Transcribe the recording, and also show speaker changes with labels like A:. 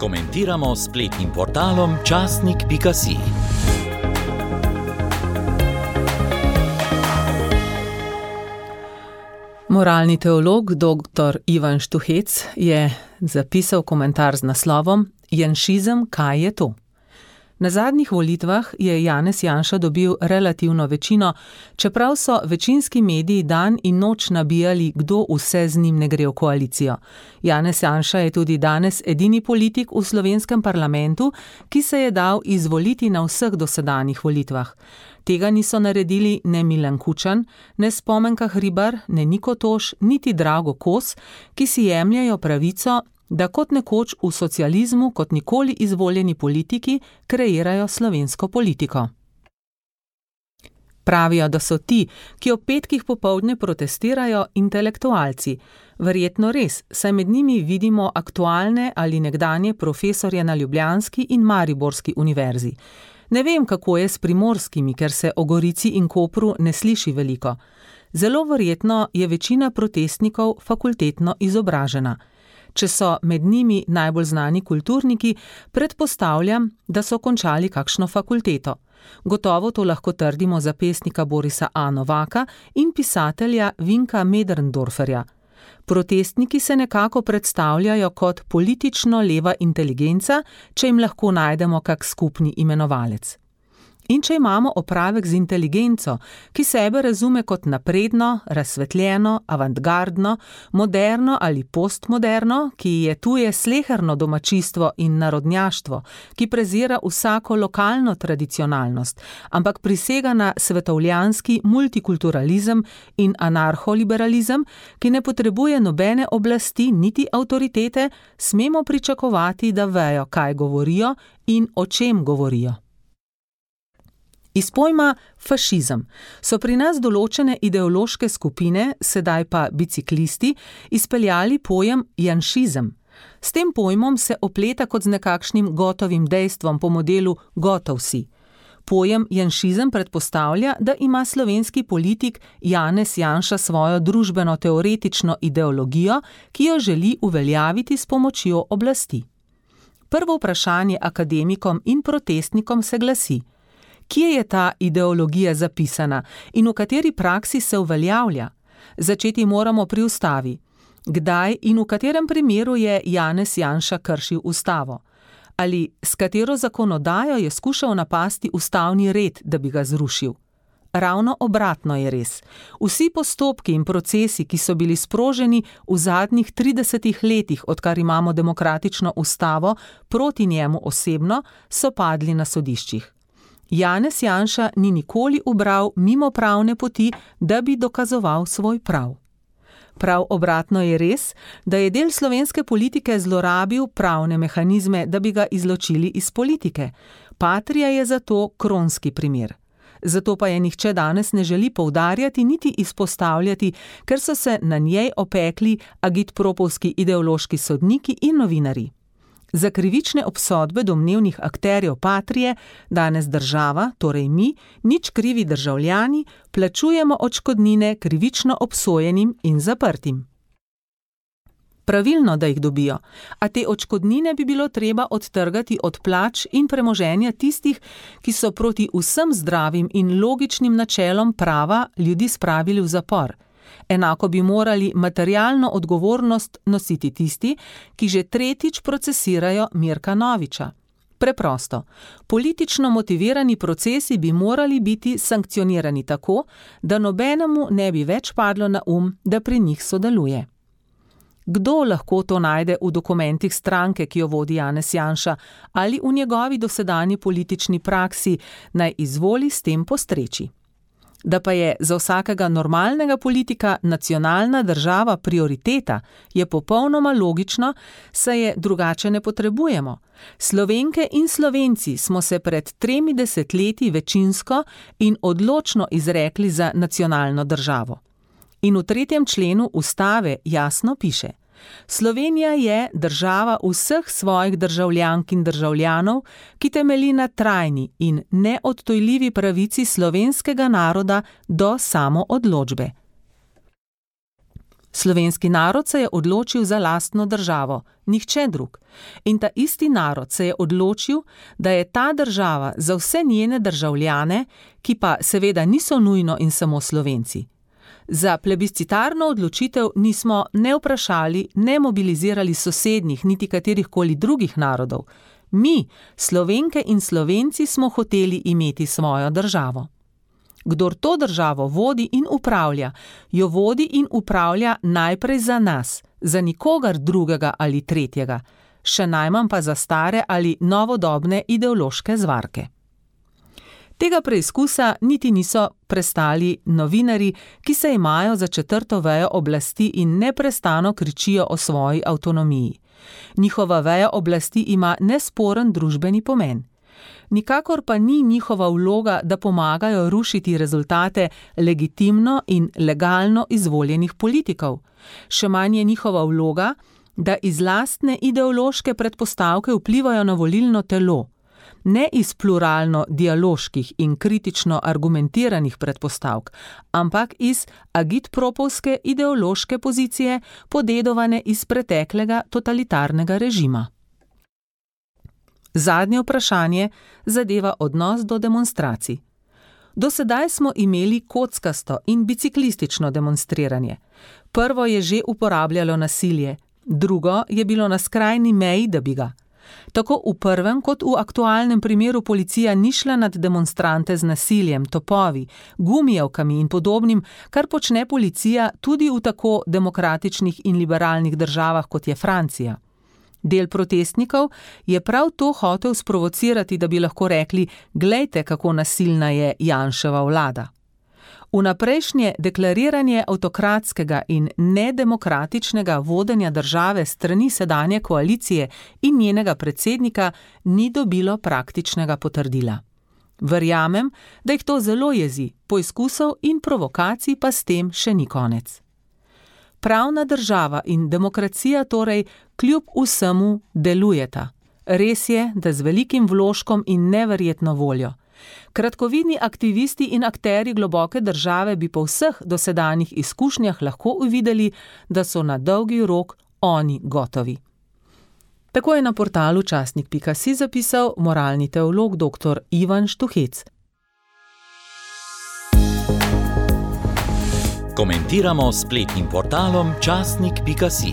A: Komentiramo s spletnim portalom časnik.si.
B: Moralni teolog dr. Ivan Štuhec je zapisal komentar z naslovom Janšizem, kaj je to? Na zadnjih volitvah je Janez Janša dobil relativno večino, čeprav so večinski mediji dan in noč nabijali, kdo vse z njim ne gre v koalicijo. Janez Janša je tudi danes edini politik v slovenskem parlamentu, ki se je dal izvoliti na vseh dosedanjih volitvah. Tega niso naredili ne Milan Kučan, ne Spomenka Hribar, ne Niko Toš, niti Drago Kos, ki si jemljejo pravico, da kot nekoč v socializmu, kot nikoli izvoljeni politiki, kreirajo slovensko politiko. Pravijo, da so ti, ki ob petkih popoldne protestirajo, intelektualci. Verjetno res, saj med njimi vidimo aktualne ali nekdanje profesorje na ljubljanski in mariborski univerzi. Ne vem, kako je s primorskimi, ker se o Gorici in Kopru ne sliši veliko. Zelo verjetno je večina protestnikov fakultetno izobražena. Če so med njimi najbolj znani kulturniki, predpostavljam, da so končali kakšno fakulteto. Gotovo to lahko trdimo za pesnika Borisa A. Novaka in pisatelja Vinka Möderndorferja. Protestniki se nekako predstavljajo kot politično leva inteligenca, če jim lahko najdemo kak skupni imenovalec. In če imamo opravek z inteligenco, ki sebe razume kot napredno, razsvetljeno, avantgardno, moderno ali postmoderno, ki je tuje sleherno domačijstvo in narodnjaštvo, ki prezira vsako lokalno tradicionalnost, ampak prisega na svetovljanski multikulturalizem in anarholiberalizem, ki ne potrebuje nobene oblasti niti avtoritete, smemo pričakovati, da vejo, kaj govorijo in o čem govorijo. Iz pojma fašizem so pri nas določene ideološke skupine, sedaj pa biciklisti, izpeljali pojem janšizem. S tem pojmom se opleta kot z nekakšnim gotovim dejstvom po modelu gotov si. Pojem janšizem predpostavlja, da ima slovenski politik Janez Janša svojo družbeno-teoretično ideologijo, ki jo želi uveljaviti s pomočjo oblasti. Prvo vprašanje akademikom in protestnikom se glasi: kje je ta ideologija zapisana in v kateri praksi se uveljavlja? Začeti moramo pri ustavi. Kdaj in v katerem primeru je Janez Janša kršil ustavo? Ali s katero zakonodajo je skušal napasti ustavni red, da bi ga zrušil? Ravno obratno je res. Vsi postopki in procesi, ki so bili sproženi v zadnjih 30 letih, odkar imamo demokratično ustavo, proti njemu osebno, so padli na sodiščih. Janez Janša ni nikoli ubral mimo pravne poti, da bi dokazoval svoj prav. Prav obratno je res, da je del slovenske politike zlorabil pravne mehanizme, da bi ga izločili iz politike. Patria je zato kronski primer. Zato pa je nihče danes ne želi poudarjati niti izpostavljati, ker so se na njej opekli agitpropovski ideološki sodniki in novinarji. Za krivične obsodbe domnevnih akterjev Patrije danes država, torej mi, nič krivi državljani, plačujemo odškodnine krivično obsojenim in zaprtim. Pravilno, da jih dobijo, a te odškodnine bi bilo treba odtrgati od plač in premoženja tistih, ki so proti vsem zdravim in logičnim načelom prava ljudi spravili v zapor. Enako bi morali materialno odgovornost nositi tisti, ki že tretjič procesirajo Mirka Noviča. Preprosto, politično motivirani procesi bi morali biti sankcionirani tako, da nobenemu ne bi več padlo na da pri njih sodeluje. Kdo lahko to najde v dokumentih stranke, ki jo vodi Janez Janša, ali v njegovi dosedanji politični praksi, naj izvoli s tem postreči. Da pa je za vsakega normalnega politika nacionalna država prioriteta, je popolnoma logično, saj je drugače ne potrebujemo. Slovenke in Slovenci smo se pred 3 desetletji večinsko in odločno izrekli za nacionalno državo. In v 3. členu ustave jasno piše: Slovenija je država vseh svojih državljank in državljanov, ki temelji na trajni in neodtujljivi pravici slovenskega naroda do samoodločbe. Slovenski narod se je odločil za lastno državo, nihče drug. In ta isti narod se je odločil, da je ta država za vse njene državljane, ki pa seveda niso nujno in samo Slovenci. Za plebiscitarno odločitev nismo ne vprašali, ne mobilizirali sosednjih, niti katerihkoli drugih narodov. Mi, Slovenke in Slovenci, smo hoteli imeti svojo državo. Kdor to državo vodi in upravlja, jo vodi in upravlja najprej za nas, za nikogar drugega ali tretjega, še najmanj pa za stare ali novodobne ideološke zvarke. Tega preizkusa niti niso prestali novinarji, ki se imajo za četrto vejo oblasti in neprestano kričijo o svoji avtonomiji. Njihova veja oblasti ima nesporen družbeni pomen. Nikakor pa ni njihova vloga, da pomagajo rušiti rezultate legitimno in legalno izvoljenih politikov. Še manj je njihova vloga, da iz lastne ideološke predpostavke vplivajo na volilno telo. Ne iz pluralno-dialoških in kritično argumentiranih predpostavk, ampak iz agitpropovske ideološke pozicije, podedovane iz preteklega totalitarnega režima. Zadnje vprašanje zadeva odnos do demonstracij. Do sedaj smo imeli kockasto in biciklistično demonstriranje. Prvo je že uporabljalo nasilje, drugo je bilo na skrajni meji, da bi ga. Tako v prvem kot v aktualnem primeru policija ni šla nad demonstrante z nasiljem, topovi, gumijevkami in podobnim, kar počne policija tudi v tako demokratičnih in liberalnih državah, kot je Francija. Del protestnikov je prav to hotel sprovocirati, da bi lahko rekli: glejte, kako nasilna je Janševa vlada. Vnaprejšnje deklariranje avtokratskega in nedemokratičnega vodenja države strani sedanje koalicije in njenega predsednika ni dobilo praktičnega potrdila. Verjamem, da jih to zelo jezi, poizkusov in provokacij pa s tem še ni konec. Pravna država in demokracija torej kljub vsemu delujeta. Res je, da z velikim vložkom in neverjetno voljo. Kratkovidni aktivisti in akterji globoke države bi po vseh dosedanjih izkušnjah lahko uvideli, da so na dolgi rok oni gotovi. Tako je na portalu časnik.si zapisal moralni teolog dr. Ivan Štuhec.
A: Komentiramo s spletnim portalom časnik.si.